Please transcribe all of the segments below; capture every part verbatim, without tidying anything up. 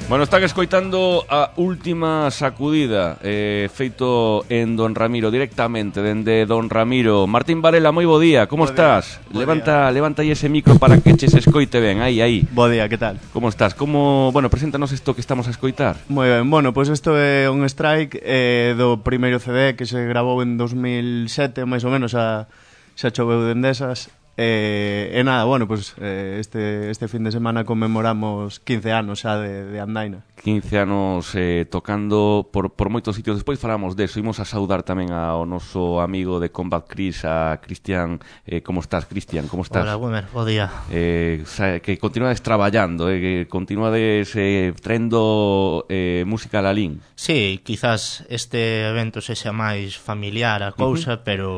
Bueno, están escoitando a última sacudida eh, feito en Don Ramiro, directamente dende Don Ramiro. Martín Varela, moi bo día, como bo estás? Día, levanta día. levanta aí ese micro para que che se escoite ben, aí, aí. Bo día, que tal? Como estás? Como, bueno, preséntanos isto que estamos a escoitar. Moi ben, bueno, pois pues isto é un strike eh, do primeiro C D que se grabou en dos mil sete, máis ou menos, xa, xa choveu dende esas. Eh, e nada, bueno, pues eh, este, este fin de semana conmemoramos quince anos xa de, de Andaina. quince anos eh, tocando por, por moitos sitios. Despois falamos deso. Imos a saudar tamén ao noso amigo de Combat Chris, a Cristian. eh, Como estás, Cristian? Como estás? Hola, Gumer, bo día. eh, Que continuades traballando, eh, que continuades eh, traendo eh, música a Lalín. Sí, quizás este evento sexa máis familiar a cousa, uh-huh. pero...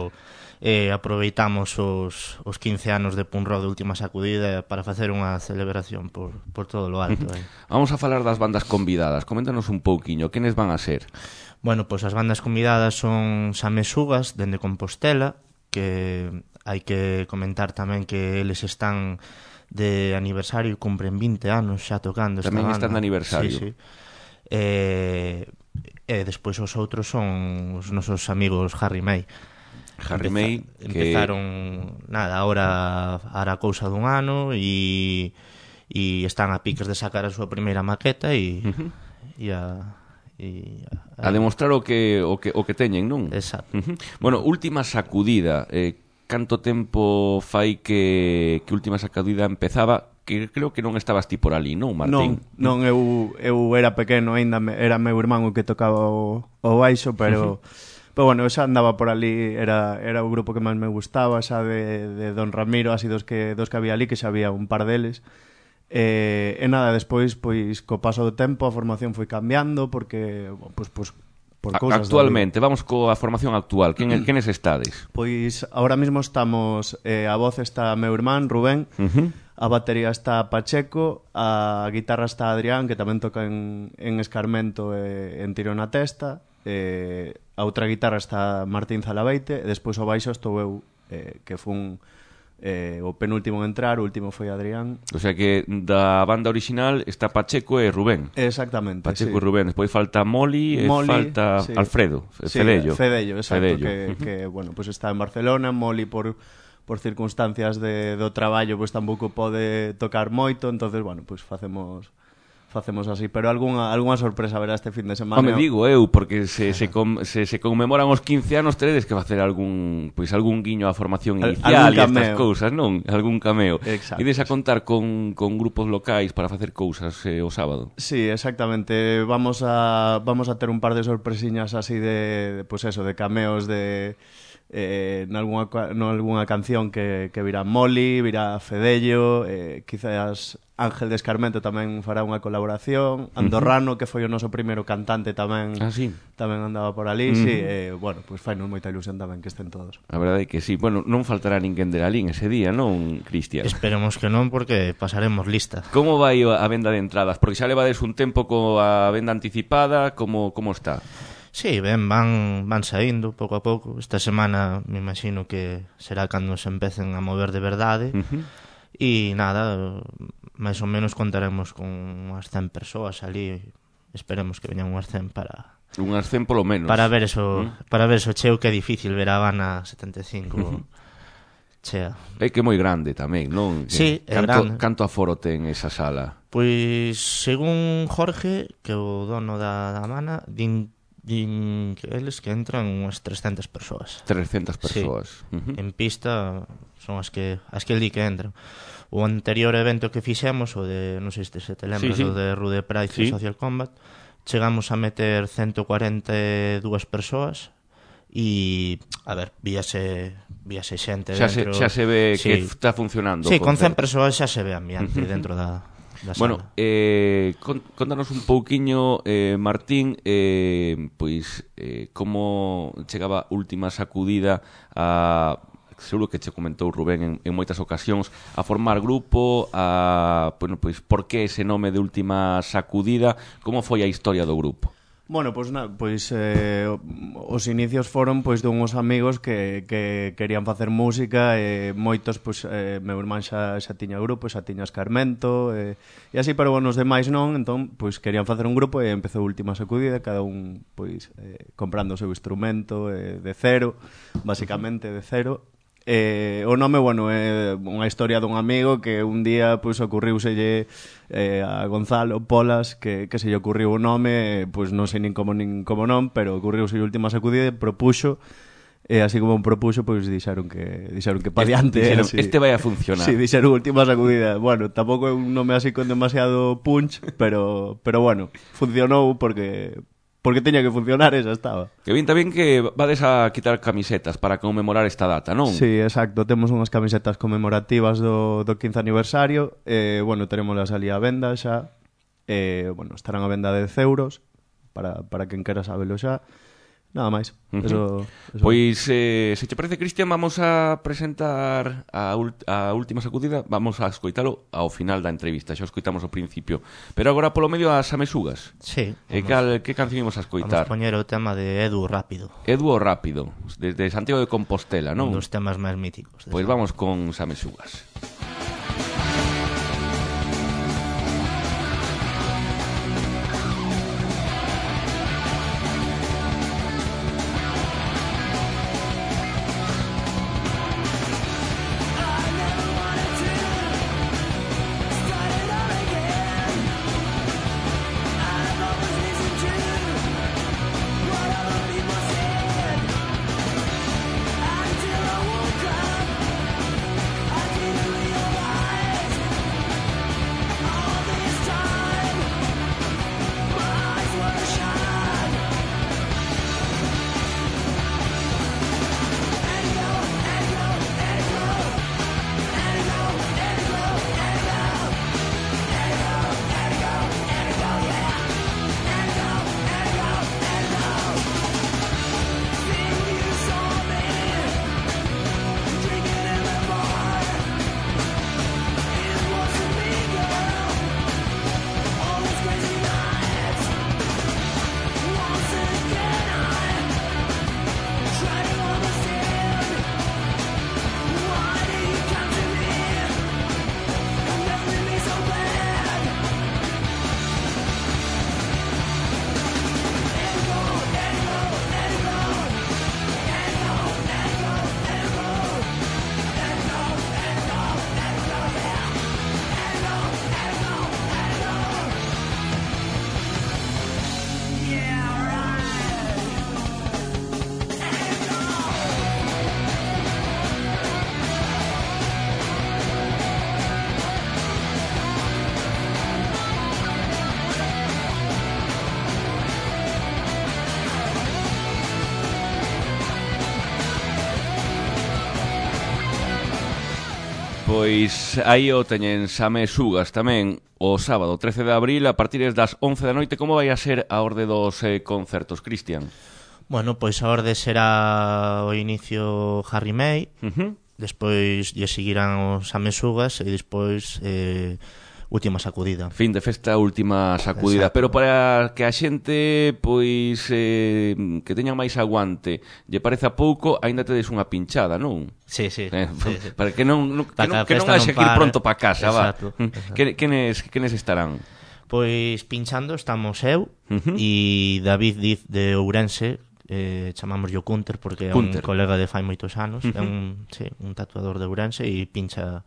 Eh, aproveitamos os, os quince anos de Punk Rock de última sacudida para facer unha celebración por, por todo lo alto. Eh. Vamos a falar das bandas convidadas. Coméntanos un pouquiño, quenes van a ser? Bueno, pois pues as bandas convidadas son Samesugas, dende Compostela, que hai que comentar tamén que eles están de aniversario, cumpren vinte anos xa tocando esta tamén banda. Están de aniversario. Sí, sí. Eh, e despois os outros son os nosos amigos Harry May. Harry May, que... Empezaron, nada, ahora hará cousa dun ano e, e están a piques de sacar a súa primeira maqueta e, uh-huh. e a... E a, a demostrar o que, o que, o que teñen, non? Exacto. Uh-huh. Bueno, última sacudida. Eh, canto tempo fai que, que última sacudida empezaba? Que creo que non estabas ti por ali, non, Martín? Non, non, eu, eu era pequeno ainda, era meu irmán o que tocaba o, o baixo, pero... Uh-huh. Pero bueno, xa andaba por ali, era, era o grupo que máis me gustaba, xa de, de Don Ramiro, así dos que, dos que había ali, que xa había un par deles. E, e nada, despois, pois, co paso do tempo, a formación foi cambiando, porque, pois, pois, por cousas... Actualmente, vamos coa formación actual, quen, quenes estades? Pois, ahora mismo estamos, eh, a voz está meu irmán, Rubén, uh-huh. a batería está Pacheco, a guitarra está Adrián, que tamén toca en, en Escarmento e en Tiro na Testa, eh, a outra guitarra está Martín Zalabeite e despois o baixo estou eu, eh, que fun eh, o penúltimo en entrar, o último foi Adrián. O sea que da banda original está Pacheco e Rubén. Exactamente, Pacheco sí. e Rubén, despois falta Moli e Molly, falta sí. Alfredo, sí, Fedello. Fedello, exacto, Fedello. Que, que bueno, pues está en Barcelona. Moli por por circunstancias de, do traballo pois pues, tampouco pode tocar moito, entonces bueno, pois pues, facemos facemos así, pero algunha algunha sorpresa verá este fin de semana. Home, digo eu, porque se se, com, se se conmemoran os quince anos, teredes que facer algún, pois algún guiño á formación inicial e estas cousas, non? Algún cameo. Exacto. Ides a contar con, con grupos locais para facer cousas eh, o sábado. Sí, exactamente. Vamos a vamos a ter un par de sorpresiñas así de, de pues eso, de cameos de eh, nalgúna, nalgúna canción que, que virá Moli, virá Fedello, eh, quizás Ángel de Escarmento tamén fará unha colaboración, Andorrano, uh-huh. que foi o noso primeiro cantante tamén, ah, sí. tamén andaba por ali, uh-huh. sí, e, bueno, pois pues fainos moita ilusión tamén que estén todos. A verdade é que sí, bueno, non faltará ninguén de Lalín ese día, non, Cristian? Esperemos que non, porque pasaremos lista. Como vai a venda de entradas? Porque xa levades un tempo coa venda anticipada, como, como está? Sí, ben, van, van saindo pouco a pouco. Esta semana me imagino que será cando se empecen a mover de verdade. Uh-huh. E nada, máis ou menos contaremos con unhas cen persoas ali. Esperemos que veñan unhas cen para... Unhas cen polo menos. Para ver eso, uh-huh. para ver eso cheo, que é difícil ver a Habana setenta e cinco... Uh-huh. Chea. É que é moi grande tamén, non? Sí, é canto, grande. Canto aforo ten esa sala? Pois, según Jorge, que é o dono da, da Habana, din din que eles que entran unhas trescentas persoas. trescentas persoas. Sí. Uh-huh. En pista son as que as que el di que entran. O anterior evento que fixemos, o de, non sei se te lembras, sí, sí. o de Rude Pride sí. e Social Combat, chegamos a meter ciento cuarenta e dúas persoas e, a ver, víase víase xente xa dentro. Se, xa se ve sí. que está funcionando. Sí, con cen persoas xa se ve ambiente uh-huh. dentro da Bueno, eh, contanos un pouquiño, eh, Martín, eh, pois eh, como chegaba última sacudida a, seguro que che comentou Rubén en, en moitas ocasións, a formar grupo, a, bueno, pois por que ese nome de última sacudida, como foi a historia do grupo? Bueno, pois, na, pois eh, os inicios foron pois dunhos amigos que, que querían facer música e moitos, pois, eh, meu irmán xa, xa tiña grupo, xa tiña Escarmento e, e así, pero bueno, os demais non, entón, pois querían facer un grupo e empezou Última Sacudida, cada un, pois, eh, comprando o seu instrumento eh, de cero, basicamente de cero. Eh, o nome, bueno, é unha historia dun amigo que un día pois ocurriuselle eh, a Gonzalo Polas que, que se lle ocurriu o nome, pois non sei nin como nin como non, pero ocurriuse a Última Sacudida e propuxo, e así como propuxo, pois dixeron que dixeron que pa diante, dixeron, así, este vai a funcionar. Si, sí, dixeron Última Sacudida. Bueno, tampouco é un nome así con demasiado punch, pero pero bueno, funcionou porque porque teña que funcionar e xa estaba. Que bien tamén que vades a quitar camisetas para conmemorar esta data, non? Sí, exacto, temos unhas camisetas conmemorativas do, do quince aniversario, e, bueno, teremoslas ali a venda xa, e, bueno, estarán a venda de dez euros, para, para quen quera sabelo xa. Nada máis. Uh-huh. Eso, eso. Pois, eh, se te parece, Cristian, vamos a presentar a, ult- a Última Sacudida. Vamos a escoitalo ao final da entrevista. Xa o escoitamos ao principio. Pero agora, polo medio, as Amesugas. Sí. E cal, que canción imos a escoitar? Vamos poñer o tema de Edu Rápido. Edu o Rápido, desde Santiago de Compostela, non? Un dos temas máis míticos. Pois vamos con Amesugas. Pois aí o teñen Amesugas tamén o sábado trece de abril a partir das once da noite. Como vai a ser a orde dos eh, concertos, Cristian? Bueno, pois a orde será o inicio Harry May, uh-huh. despois lle seguirán os Amesugas e despois eh, Última Sacudida. Fin de festa, Última Sacudida. Exacto. Pero para que a xente pois eh, que teñan máis aguante lle pareza pouco, aínda tedes unha pinchada, non? Sí, sí, eh, sí, sí. Para que non, non, que non, que non haxe que ir pronto para casa. Exacto, va. exacto. Que, quenes, quenes estarán? Pois pinchando estamos eu uh-huh. e David Diz de Ourense, eh, chamamos yo Cunter porque é Cunter. un colega de fai moitos anos, uh-huh. é un, sí, un tatuador de Ourense e pincha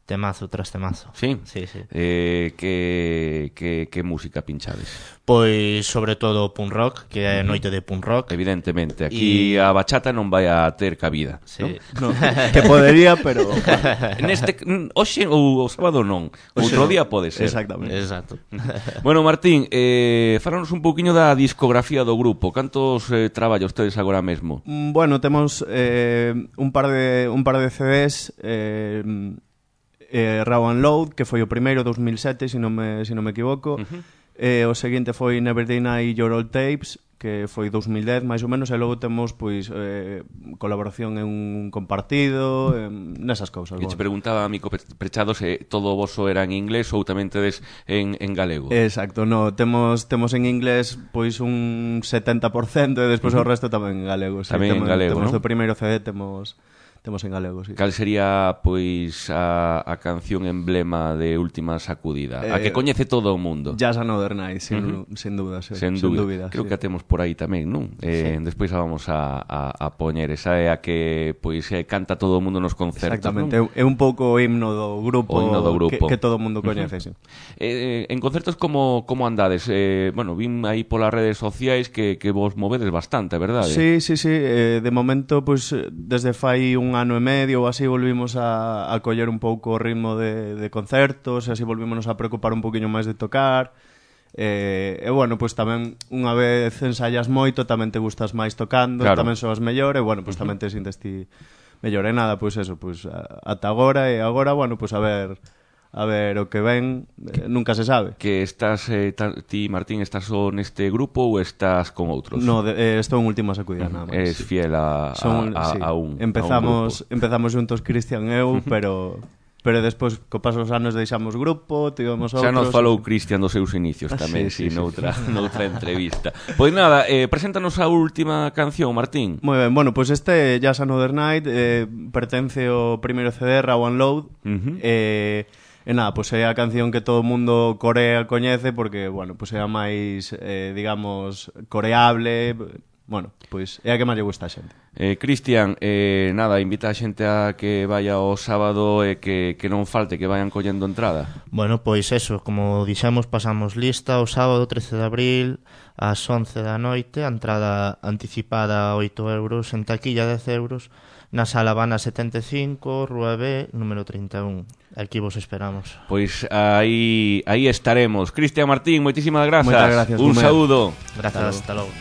temazo tras temazo. Sí? Sí, sí. Eh, que, que, que música pinchades? Pois sobre todo punk rock, que é noite de punk rock. Evidentemente, aquí y... a bachata non vai a ter cabida, sí. ¿no? No, que podería, pero neste hoxe ou o sábado non. Outro día pode ser. Exactamente. Exacto. Bueno, Martín, eh, falanos un pouquiño da discografía do grupo. Cantos eh, traballos tedes agora mesmo? Bueno, temos eh, un par de un par de C Ds, eh, eh, Raw and Load, que foi o primeiro dos mil sete, se non me, se non me equivoco. Uh-huh. Eh, o seguinte foi Never Deny Your Old Tapes, que foi dous mil dez máis ou menos, e logo temos pois eh, colaboración en un compartido, en nesas cousas. E te preguntaba a Mico Prechado se todo o voso era en inglés ou tamén tedes en, en galego. Exacto, no, temos temos en inglés pois un setenta por cento e despois uh -huh. o resto tamén en galego. Sí, tamén temos, en galego, temos ¿no? do primeiro C D temos temos en galego, sí. Cal sería, pois, a, a canción emblema de Última Sacudida? Eh, a que coñece todo o mundo. Jazz Another Night, sin, uh -huh. sin dúda, sí. Sen sin dúbida. dúbida. Creo sí. que a temos por aí tamén, non? Eh, sí. Despois a vamos a, a, a poñer. Esa é a que, pois, canta todo o mundo nos concertos, exactamente, non? É un pouco o himno do grupo, o himno do grupo. Que, que todo o mundo coñece, uh -huh. sí. Eh, en concertos como, como andades? Eh, bueno, vin aí polas redes sociais que, que vos movedes bastante, verdade? Sí, sí, sí. Eh, de momento, pois, desde fai un ano e medio ou así volvimos a, a coller un pouco o ritmo de, de concertos, e así volvímonos a preocupar un poquinho máis de tocar. E, e bueno, pois tamén unha vez ensayas moito, tamén te gustas máis tocando, claro. Tamén soas mellor, e bueno, pois tamén te sintes ti mellor. E nada, pois eso, pois ata agora, e agora, bueno, pois a ver... A ver, o que ven, eh, nunca se sabe. Que estás, eh, ti, Martín, estás só neste grupo ou estás con outros? No, de, eh, estou en Última Sacudida, nada máis. Es fiel a, Son, a, a, sí. a un Empezamos, a un empezamos juntos Cristian e eu, pero... Pero despois, co paso dos anos, deixamos grupo, tivemos outros... Xa nos falou Cristian dos seus inicios ah, tamén, sí, sí, sí, noutra, sí. noutra entrevista. Pois nada, eh, preséntanos a última canción, Martín. Moi ben, bueno, pois este Jazz Another Night eh, pertence ao primeiro C D, Raw and Load, uh -huh. eh... E nada, pois é a canción que todo o mundo corea coñece porque, bueno, pois é a máis, eh, digamos, coreable. Bueno, pois é a que máis lle gusta a xente. Eh, Cristian, eh, nada, invita a xente a que vaya o sábado e que, que non falte, que vayan collendo entrada. Bueno, pois eso, como dixemos, pasamos lista o sábado trece de abril ás once da noite, a entrada anticipada oito euros, en taquilla dez euros, na Sala Habana setenta e cinco, Rúa B, número trinta e un. Aquí vos esperamos. Pois aí aí estaremos. Cristian, Martín, moitísimas grazas. Moitas gracias. Un saúdo. Grazas, hasta logo.